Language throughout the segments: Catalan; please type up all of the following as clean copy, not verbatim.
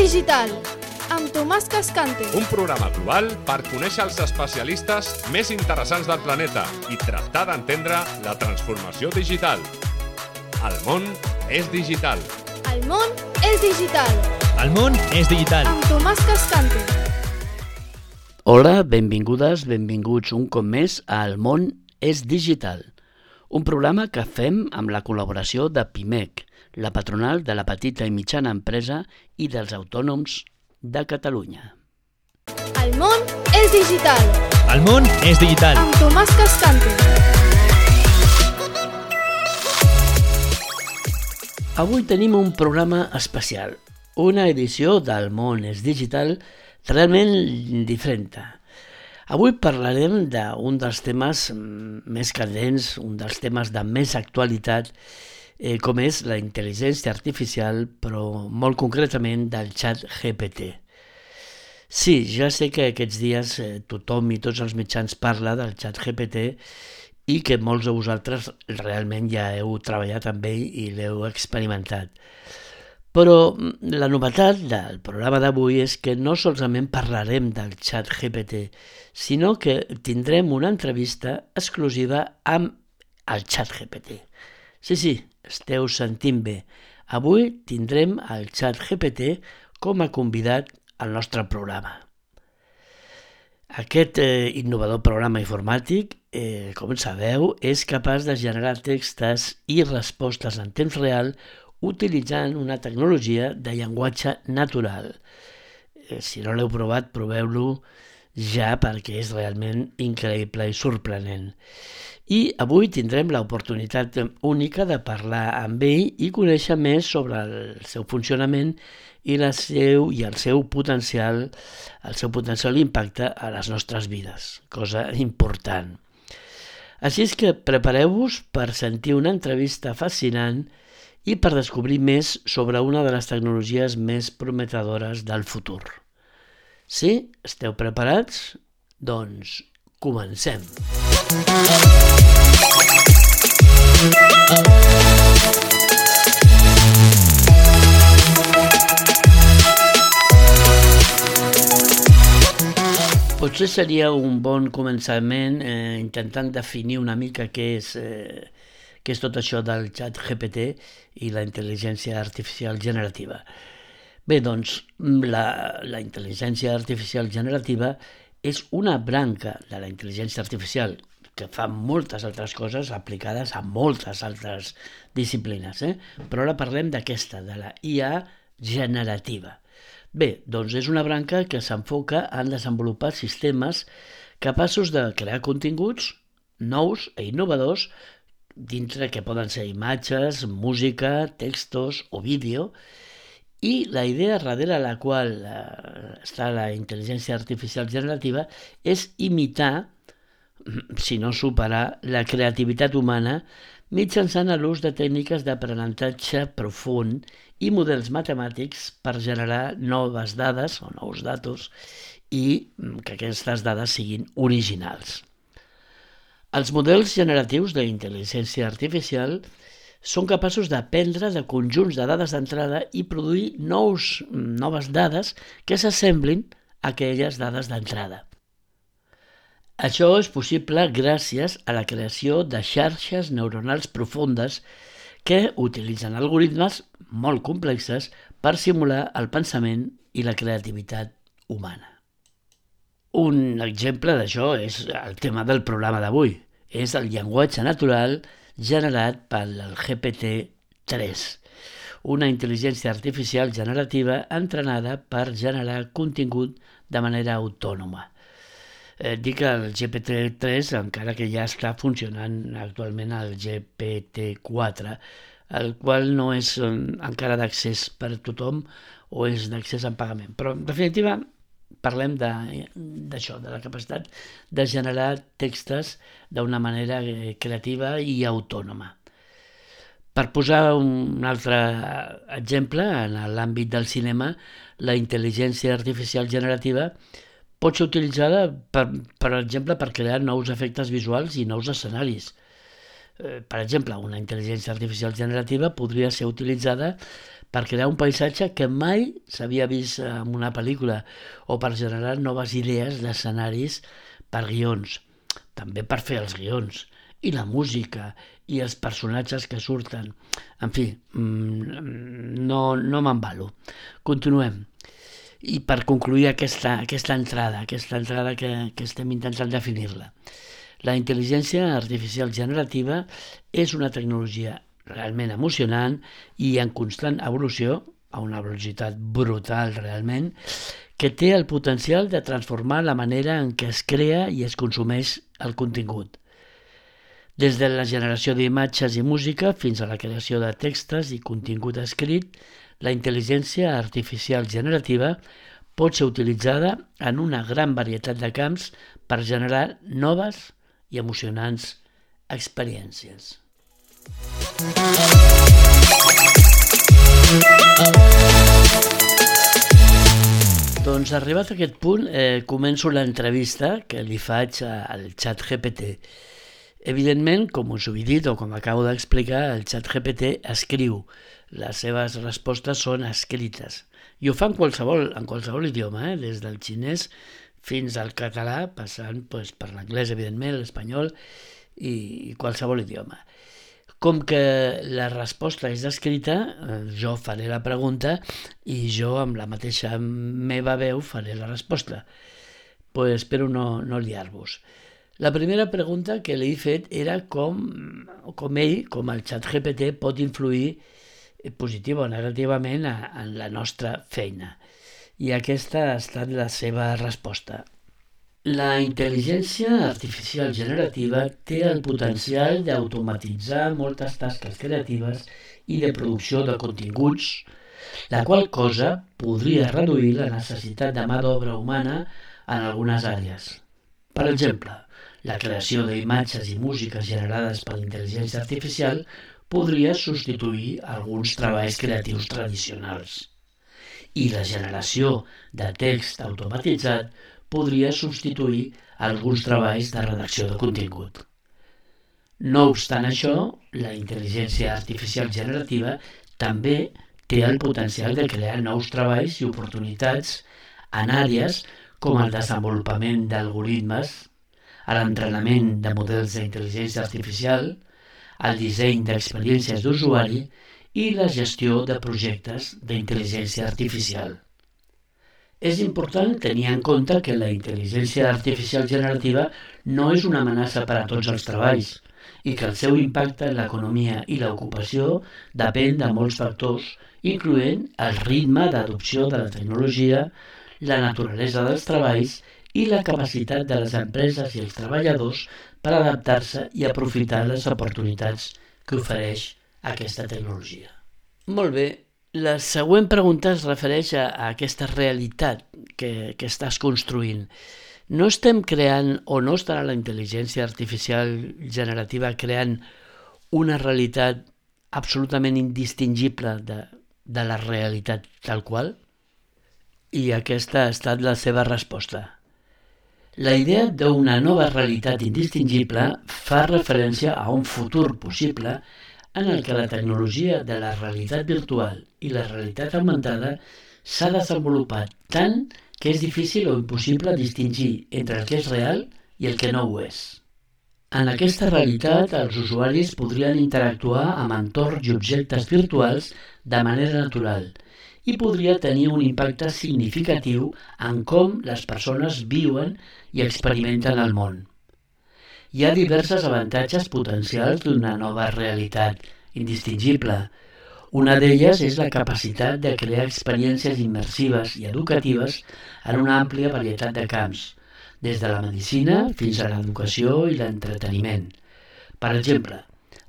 digital, amb Tomàs Cascante. Un programa global per conèixer els especialistes més interessants del planeta i tractar d'entendre la transformació digital. El món és digital. El món és digital. El món és digital. Amb Tomàs Cascante. Hola, benvingudes, benvinguts un cop més a El món és digital, un programa que fem amb la col·laboració de PIMEC, la patronal de la petita i mitjana empresa i dels autònoms de Catalunya. El món és digital. El món és digital. Amb Tomàs Cascante. Avui tenim un programa especial, una edició del món és digital realment diferent. Avui parlarem d'un dels temes més candents, un dels temes de més actualitat, com és la intel·ligència artificial, però molt concretament del xat GPT. Sí, ja sé que aquests dies tothom i tots els mitjans parla del xat GPT i que molts de vosaltres realment ja heu treballat amb ell i l'heu experimentat. Però la novetat del programa d'avui és que no solament parlarem del xat GPT, sinó que tindrem una entrevista exclusiva amb el xat GPT. Sí, esteu sentint bé. Avui tindrem el xat GPT com a convidat al nostre programa. Aquest innovador programa informàtic, com sabeu, és capaç de generar textos i respostes en temps real utilitzant una tecnologia de llenguatge natural. Si no l'heu provat, proveu-lo ja perquè és realment increïble i sorprenent. I avui tindrem l'oportunitat única de parlar amb ell i conèixer més sobre el seu funcionament i el seu potencial impacte a les nostres vides, cosa important. Així és que prepareu-vos per sentir una entrevista fascinant i per descobrir més sobre una de les tecnologies més prometedores del futur. Sí? Esteu preparats? Doncs comencem! Potser seria un bon començament intentant definir una mica què és tot això del xat GPT i la intel·ligència artificial generativa. Bé, doncs, la intel·ligència artificial generativa és una branca de la intel·ligència artificial que fa moltes altres coses aplicades a moltes altres disciplines, però ara parlem d'aquesta, de la IA generativa. Bé, doncs és una branca que s'enfoca en desenvolupar sistemes capaços de crear continguts nous i innovadors dintre que poden ser imatges, música, textos o vídeo, i la idea darrere la qual està la intel·ligència artificial generativa és imitar, si no superar, la creativitat humana mitjançant l'ús de tècniques d'aprenentatge profund i models matemàtics per generar noves dades o nous datos i que aquestes dades siguin originals. Els models generatius d'intel·ligència artificial són capaços d'aprendre de conjunts de dades d'entrada i produir noves dades que s'assemblin a aquelles dades d'entrada. Això és possible gràcies a la creació de xarxes neuronals profundes que utilitzen algoritmes molt complexes per simular el pensament i la creativitat humana. Un exemple d'això és el tema del programa d'avui. És el llenguatge natural generat pel GPT-3, una intel·ligència artificial generativa entrenada per generar contingut de manera autònoma. Dic el GPT-3 encara que ja està funcionant actualment el GPT-4, el qual no és encara d'accés per a tothom o és d'accés en pagament. Però en definitiva parlem d'això, de la capacitat de generar textos d'una manera creativa i autònoma. Per posar un altre exemple, en l'àmbit del cinema, la intel·ligència artificial generativa pot ser utilitzada, per exemple, per crear nous efectes visuals i nous escenaris. Per exemple, una intel·ligència artificial generativa podria ser utilitzada per crear un paisatge que mai s'havia vist en una pel·lícula o per generar noves idees d'escenaris per guions, també per fer els guions, i la música, i els personatges que surten. En fi, no m'embalo. Continuem. I per concluir aquesta entrada que estem intentant definir-la. La intel·ligència artificial generativa és una tecnologia realment emocionant i en constant evolució, a una velocitat brutal realment, que té el potencial de transformar la manera en què es crea i es consumeix el contingut. Des de la generació d'imatges i música fins a la creació de textos i contingut escrit, la intel·ligència artificial generativa pot ser utilitzada en una gran varietat de camps per generar noves i emocionants experiències. Doncs arribat a aquest punt, començo l'entrevista que li faig al ChatGPT. Evidentment, com us ho he dit o com acabo d'explicar, el ChatGPT escriu. Les seves respostes són escrites. I ho fa en qualsevol idioma, des del xinès fins al català, passant per l'anglès, evidentment, l'espanyol i qualsevol idioma. Com que la resposta és escrita, jo faré la pregunta i jo amb la mateixa meva veu faré la resposta. Espero no liar-vos. La primera pregunta que li he fet era com el ChatGPT pot influir positiva o negativament en la nostra feina. I aquesta ha estat la seva resposta. La intel·ligència artificial generativa té el potencial d'automatitzar moltes tasques creatives i de producció de continguts, la qual cosa podria reduir la necessitat de mà d'obra humana en algunes àrees. Per exemple, la creació d'imatges i músiques generades per intel·ligència artificial podria substituir alguns treballs creatius tradicionals. I la generació de text automatitzat podria substituir alguns treballs de redacció de contingut. No obstant això, la intel·ligència artificial generativa també té el potencial de crear nous treballs i oportunitats en àrees com el desenvolupament d'algoritmes, l'entrenament de models d'intel·ligència artificial, el disseny d'experiències d'usuari i la gestió de projectes d'intel·ligència artificial. És important tenir en compte que la intel·ligència artificial generativa no és una amenaça per a tots els treballs i que el seu impacte en l'economia i l'ocupació depèn de molts factors, incloent el ritme d'adopció de la tecnologia, la naturalesa dels treballs i la capacitat de les empreses i els treballadors per adaptar-se i aprofitar les oportunitats que ofereix aquesta tecnologia. Molt bé. La següent pregunta es refereix a aquesta realitat que estàs construint. No estem creant o no estarà la intel·ligència artificial generativa creant una realitat absolutament indistingible de la realitat tal qual? I aquesta ha estat la seva resposta. La idea d'una nova realitat indistingible fa referència a un futur possible en el que la tecnologia de la realitat virtual i la realitat augmentada s'ha desenvolupat tant que és difícil o impossible distingir entre el que és real i el que no ho és. En aquesta realitat, els usuaris podrien interactuar amb entorns i objectes virtuals de manera natural i podria tenir un impacte significatiu en com les persones viuen i experimenten el món. Hi ha diversos avantatges potencials d'una nova realitat indistingible. Una d'elles és la capacitat de crear experiències immersives i educatives en una àmplia varietat de camps, des de la medicina fins a l'educació i l'entreteniment. Per exemple,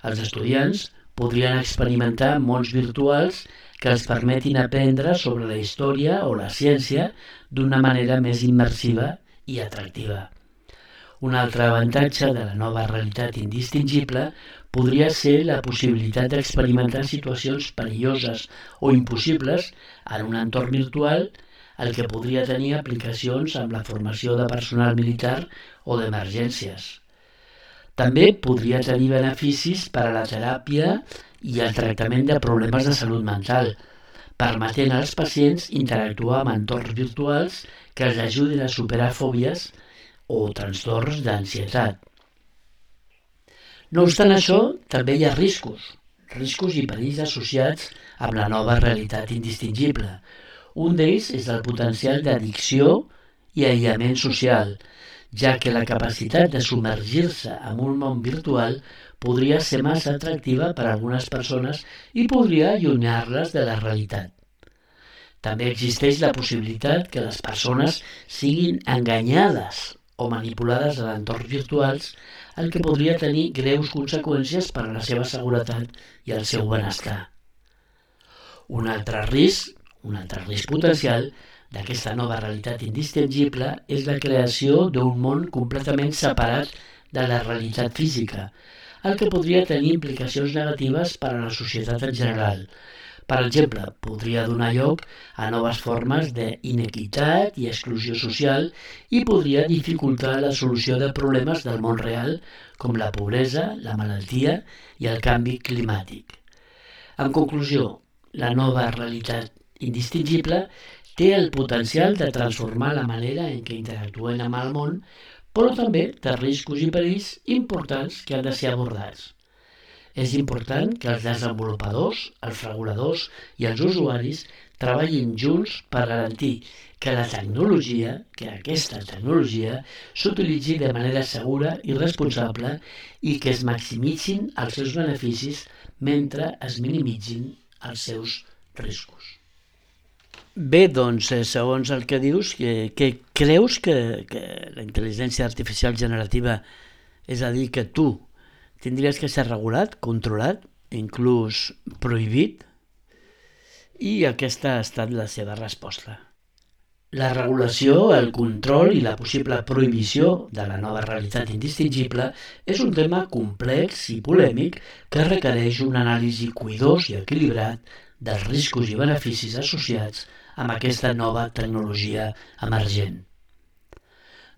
els estudiants podrien experimentar mons virtuals que els permetin aprendre sobre la història o la ciència d'una manera més immersiva i atractiva. Un altre avantatge de la nova realitat indistingible podria ser la possibilitat d'experimentar situacions perilloses o impossibles en un entorn virtual, el que podria tenir aplicacions amb la formació de personal militar o d'emergències. També podria tenir beneficis per a la teràpia i el tractament de problemes de salut mental, permetent als pacients interactuar amb entorns virtuals que els ajudin a superar fòbies o trastorns d'ansietat. No obstant això, també hi ha riscos i perills associats amb la nova realitat indistingible. Un d'ells és el potencial d'addicció i aïllament social, ja que la capacitat de submergir-se en un món virtual podria ser massa atractiva per a algunes persones i podria allunyar-les de la realitat. També existeix la possibilitat que les persones siguin enganyades o manipulades a entorns virtuals, el que podria tenir greus conseqüències per a la seva seguretat i el seu benestar. Un altre risc potencial d'aquesta nova realitat indistingible és la creació d'un món completament separat de la realitat física, el que podria tenir implicacions negatives per a la societat en general. Per exemple, podria donar lloc a noves formes d'inequitat i exclusió social i podria dificultar la solució de problemes del món real com la pobresa, la malaltia i el canvi climàtic. En conclusió, la nova realitat indistingible té el potencial de transformar la manera en què interactuem amb el món, però també té riscos i perills importants que han de ser abordats. És important que els desenvolupadors, els reguladors i els usuaris treballin junts per garantir que aquesta tecnologia s'utilitzi de manera segura i responsable i que es maximitzin els seus beneficis mentre es minimitzin els seus riscos. Bé, doncs, segons el que dius, que creus que la intel·ligència artificial generativa, és a dir, que tu tindries que ser regulat, controlat, inclús prohibit? I aquesta ha estat la seva resposta. La regulació, el control i la possible prohibició de la nova realitat indistingible és un tema complex i polèmic que requereix un anàlisi cuidós i equilibrat dels riscos i beneficis associats amb aquesta nova tecnologia emergent.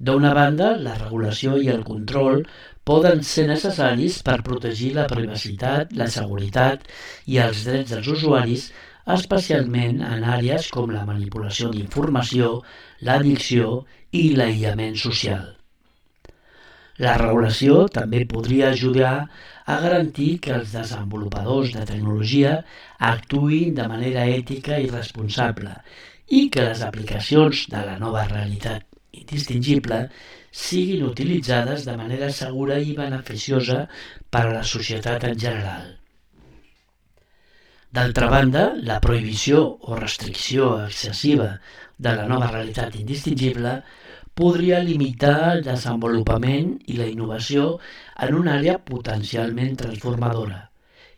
D'una banda, la regulació i el control poden ser necessaris per protegir la privacitat, la seguretat i els drets dels usuaris, especialment en àrees com la manipulació d'informació, l'addicció i l'aïllament social. La regulació també podria ajudar a garantir que els desenvolupadors de tecnologia actuïn de manera ètica i responsable i que les aplicacions de la nova realitat indistingible siguin utilitzades de manera segura i beneficiosa per a la societat en general. D'altra banda, la prohibició o restricció excessiva de la nova realitat indistingible podria limitar el desenvolupament i la innovació en una àrea potencialment transformadora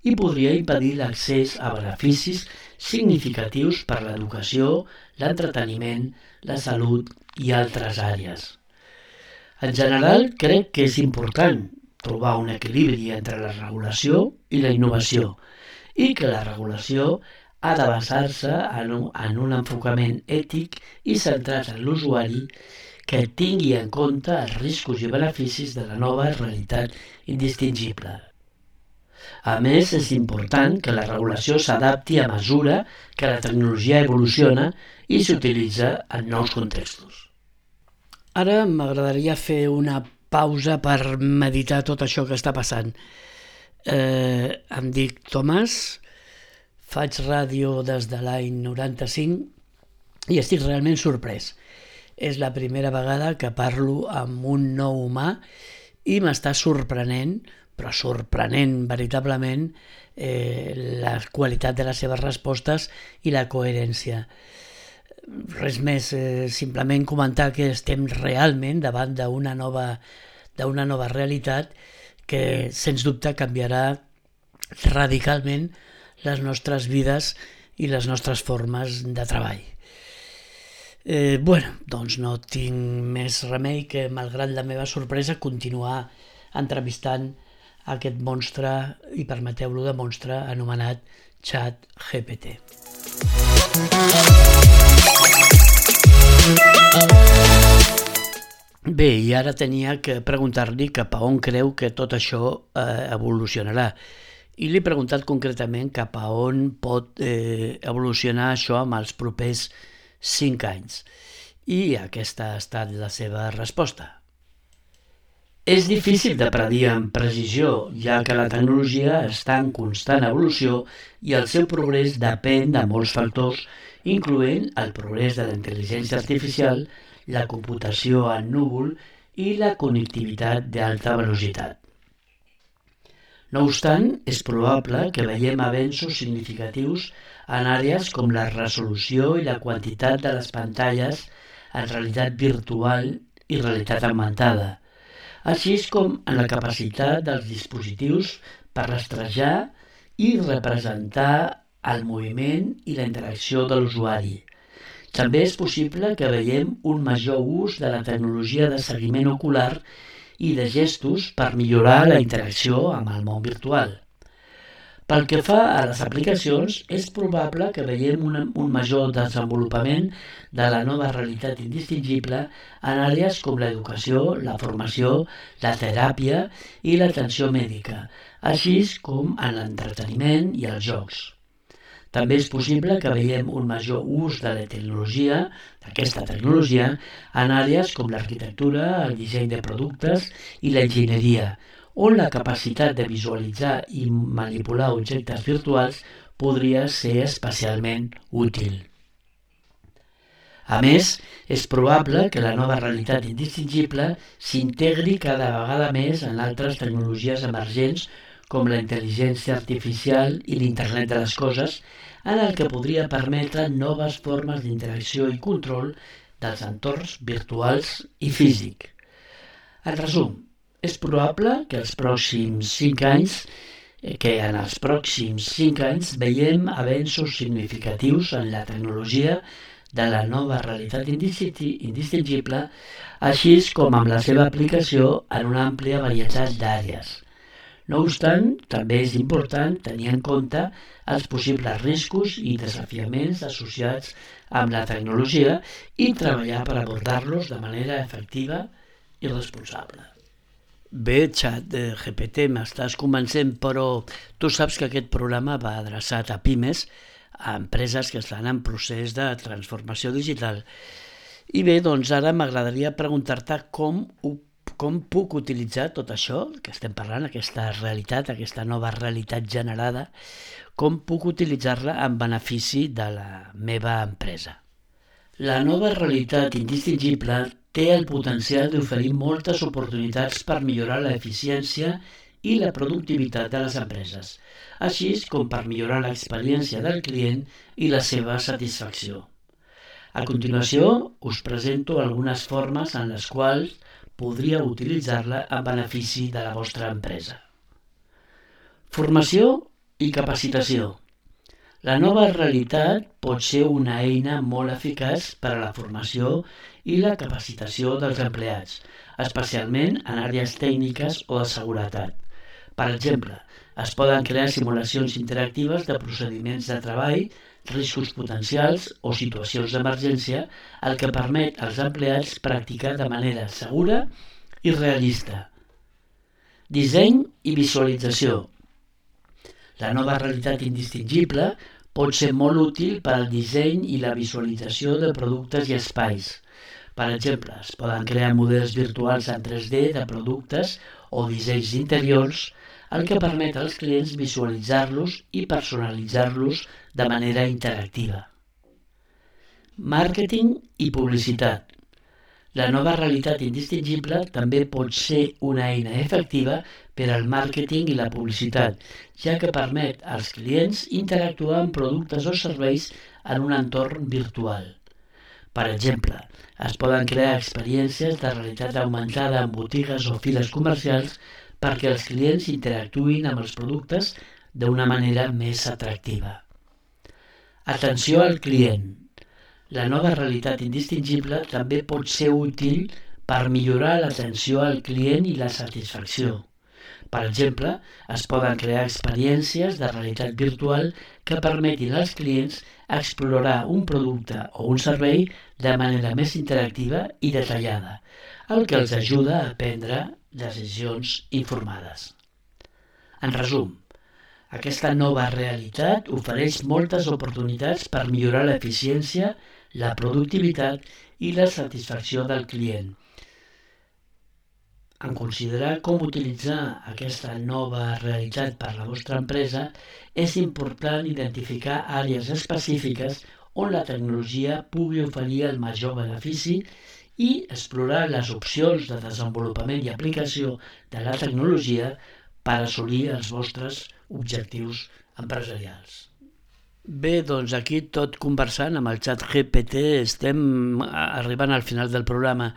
i podria impedir l'accés a beneficis significatius per a l'educació, l'entreteniment, la salut i altres àrees. En general, crec que és important trobar un equilibri entre la regulació i la innovació i que la regulació ha de basar-se en un enfocament ètic i centrat en l'usuari que tingui en compte els riscos i beneficis de la nova realitat indistingible. A més, és important que la regulació s'adapti a mesura que la tecnologia evoluciona i s'utilitza en nous contextos. Ara m'agradaria fer una pausa per meditar tot això que està passant. Em dic Tomàs, faig ràdio des de l'any 95 i estic realment sorprès. És la primera vegada que parlo amb un nou humà i m'està sorprenent, però sorprenent veritablement, la qualitat de les seves respostes i la coherència. Res més, simplement comentar que estem realment davant d'una nova realitat que, sens dubte, canviarà radicalment les nostres vides i les nostres formes de treball. Doncs no tinc més remei que, malgrat la meva sorpresa, continuar entrevistant aquest monstre, i permeteu-lo de monstre, anomenat ChatGPT. Bé, i ara tenia que preguntar-li cap a on creu que tot això evolucionarà. I li he preguntat concretament cap a on pot evolucionar això amb els propers 5 anys. I aquesta ha estat la seva resposta. És difícil de predir amb precisió, ja que la tecnologia està en constant evolució i el seu progrés depèn de molts factors, incloent el progrés de la intel·ligència artificial, la computació en núvol i la connectivitat d'alta velocitat. No obstant, és probable que veiem avenços significatius en àrees com la resolució i la quantitat de les pantalles en realitat virtual i realitat augmentada, així com en la capacitat dels dispositius per rastrejar i representar el moviment i la interacció de l'usuari. També és possible que veiem un major ús de la tecnologia de seguiment ocular i de gestos per millorar la interacció amb el món virtual. Pel que fa a les aplicacions, és probable que veiem un major desenvolupament de la nova realitat indistingible en àrees com l'educació, la formació, la teràpia i l'atenció mèdica, així com en l'entreteniment i els jocs. També és possible que veiem un major ús de la tecnologia, d'aquesta tecnologia, en àrees com l'arquitectura, el disseny de productes i l'enginyeria, on la capacitat de visualitzar i manipular objectes virtuals podria ser especialment útil. A més, és probable que la nova realitat indistingible s'integri cada vegada més en altres tecnologies emergents com la intel·ligència artificial i l'Internet de les coses, en el que podria permetre noves formes d'interacció i control dels entorns virtuals i físic. En resum, és probable que en els pròxims 5 anys veiem avenços significatius en la tecnologia de la nova realitat indistingible, així com amb la seva aplicació en una àmplia varietat d'àrees. No obstant, també és important tenir en compte els possibles riscos i desafiaments associats amb la tecnologia i treballar per abordar-los de manera efectiva i responsable. Bé, ChatGPT, m'estàs convencent, però tu saps que aquest programa va adreçat a pimes, a empreses que estan en procés de transformació digital. I bé, doncs ara m'agradaria preguntar-te com puc utilitzar tot això que estem parlant, aquesta realitat, aquesta nova realitat generada, com puc utilitzar-la en benefici de la meva empresa. La nova realitat indistingible té el potencial d'oferir moltes oportunitats per millorar l'eficiència i la productivitat de les empreses, així com per millorar l'experiència del client i la seva satisfacció. A continuació, us presento algunes formes en les quals podríeu utilitzar-la en benefici de la vostra empresa. Formació i capacitació. La nova realitat pot ser una eina molt eficaç per a la formació i la capacitació dels empleats, especialment en àrees tècniques o de seguretat. Per exemple, es poden crear simulacions interactives de procediments de treball, riscos potencials o situacions d'emergència, el que permet als empleats practicar de manera segura i realista. Disseny i visualització. La nova realitat indistingible pot ser molt útil per al disseny i la visualització de productes i espais. Per exemple, es poden crear models virtuals en 3D de productes o dissenys interiors, el que permet als clients visualitzar-los i personalitzar-los de manera interactiva. Màrqueting i publicitat. La nova realitat indistingible també pot ser una eina efectiva per al màrqueting i la publicitat, ja que permet als clients interactuar amb productes o serveis en un entorn virtual. Per exemple, es poden crear experiències de realitat augmentada en botigues o files comercials perquè els clients interactuïn amb els productes d'una manera més atractiva. Atenció al client. La nova realitat indistingible també pot ser útil per millorar l'atenció al client i la satisfacció. Per exemple, es poden crear experiències de realitat virtual que permetin als clients explorar un producte o un servei de manera més interactiva i detallada, el que els ajuda a prendre decisions informades. En resum, aquesta nova realitat ofereix moltes oportunitats per millorar l'eficiència, la productivitat i la satisfacció del client. En considerar com utilitzar aquesta nova realitat per a la vostra empresa, és important identificar àrees específiques on la tecnologia pugui oferir el major benefici i explorar les opcions de desenvolupament i aplicació de la tecnologia per assolir els vostres objectius empresarials. Bé, doncs aquí tot conversant amb el ChatGPT estem arribant al final del programa.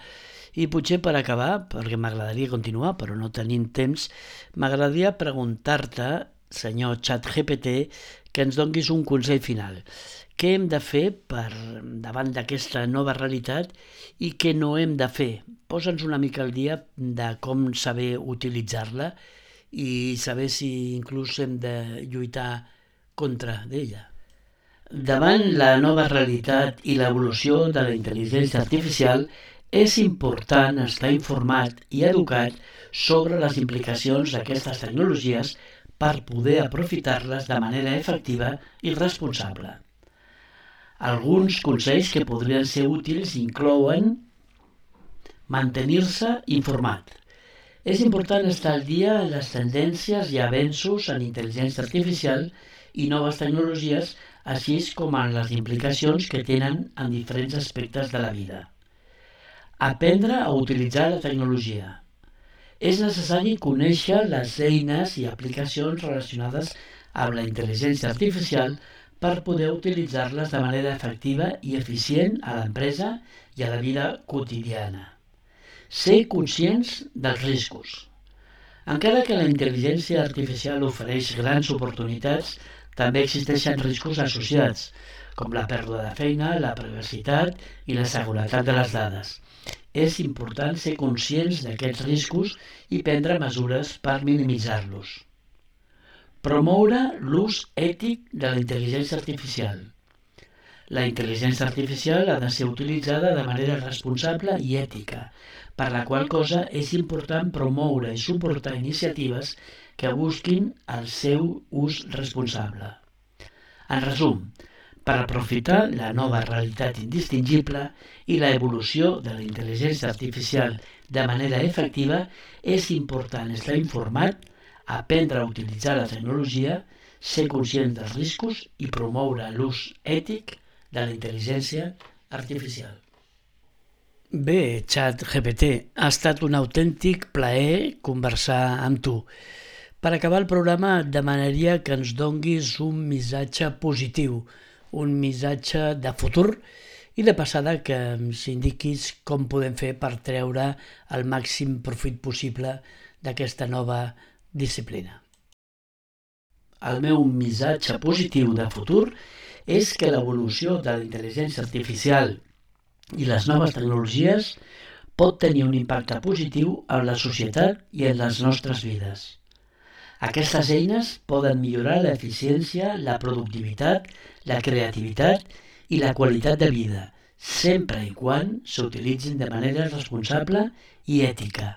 I potser per acabar, perquè m'agradaria continuar, però no tenim temps, m'agradaria preguntar-te, senyor ChatGPT, que ens donguis un consell final. Què hem de fer davant d'aquesta nova realitat i què no hem de fer? Posa'ns una mica al dia de com saber utilitzar-la i saber si inclús hem de lluitar contra d'ella. Davant la nova realitat i l'evolució de la intel·ligència artificial, és important estar informat i educat sobre les implicacions d'aquestes tecnologies per poder aprofitar-les de manera efectiva i responsable. Alguns consells que podrien ser útils inclouen mantenir-se informat. És important estar al dia en les tendències i avenços en intel·ligència artificial i noves tecnologies, així com en les implicacions que tenen en diferents aspectes de la vida. Aprendre a utilitzar la tecnologia. És necessari conèixer les eines i aplicacions relacionades amb la intel·ligència artificial per poder utilitzar-les de manera efectiva i eficient a l'empresa i a la vida quotidiana. Ser conscients dels riscos. Encara que la intel·ligència artificial ofereix grans oportunitats, també existeixen riscos associats, com la pèrdua de feina, la privacitat i la seguretat de les dades. És important ser conscients d'aquests riscos i prendre mesures per minimitzar-los. Promoure l'ús ètic de la intel·ligència artificial. La intel·ligència artificial ha de ser utilitzada de manera responsable i ètica, per la qual cosa és important promoure i suportar iniciatives que busquin el seu ús responsable. En resum, per aprofitar la nova realitat indistingible i la evolució de la intel·ligència artificial de manera efectiva, és important estar informat, aprendre a utilitzar la tecnologia, ser conscient dels riscos i promoure l'ús ètic de la intel·ligència artificial. Bé, ChatGPT, ha estat un autèntic plaer conversar amb tu. Per acabar el programa et demanaria que ens donguis un missatge positiu, un missatge de futur i de passada que ens indiquis com podem fer per treure el màxim profit possible d'aquesta nova disciplina. El meu missatge positiu de futur és que l'evolució de la intel·ligència artificial i les noves tecnologies pot tenir un impacte positiu en la societat i en les nostres vides. Aquestes eines poden millorar l'eficiència, la productivitat, la creativitat i la qualitat de vida, sempre i quan s'utilitzin de manera responsable i ètica.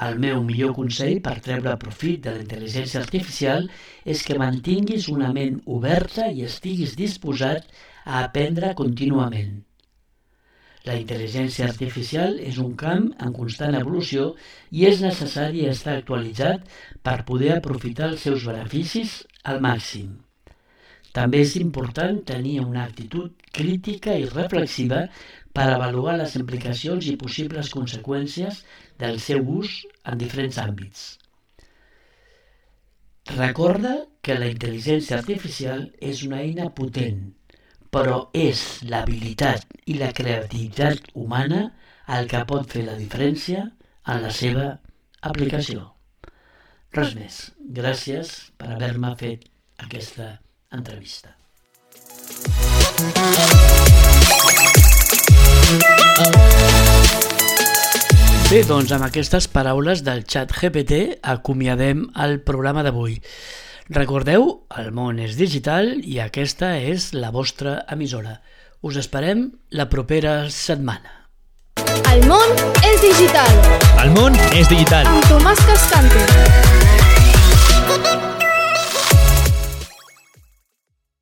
El meu millor consell per treure profit de la intel·ligència artificial és que mantinguis una ment oberta i estiguis disposat a aprendre contínuament. La intel·ligència artificial és un camp en constant evolució i és necessari estar actualitzat per poder aprofitar els seus beneficis al màxim. També és important tenir una actitud crítica i reflexiva per avaluar les implicacions i possibles conseqüències del seu ús en diferents àmbits. Recorda que la intel·ligència artificial és una eina potent, però és l'habilitat i la creativitat humana el que pot fer la diferència en la seva aplicació. Res més. Gràcies per haver-me fet aquesta entrevista. Bé, doncs amb aquestes paraules del xat GPT acomiadem el programa d'avui. Recordeu, el món és digital i aquesta és la vostra emissora. Us esperem la propera setmana. El món és digital. El món és digital. Amb Tomàs Cascante.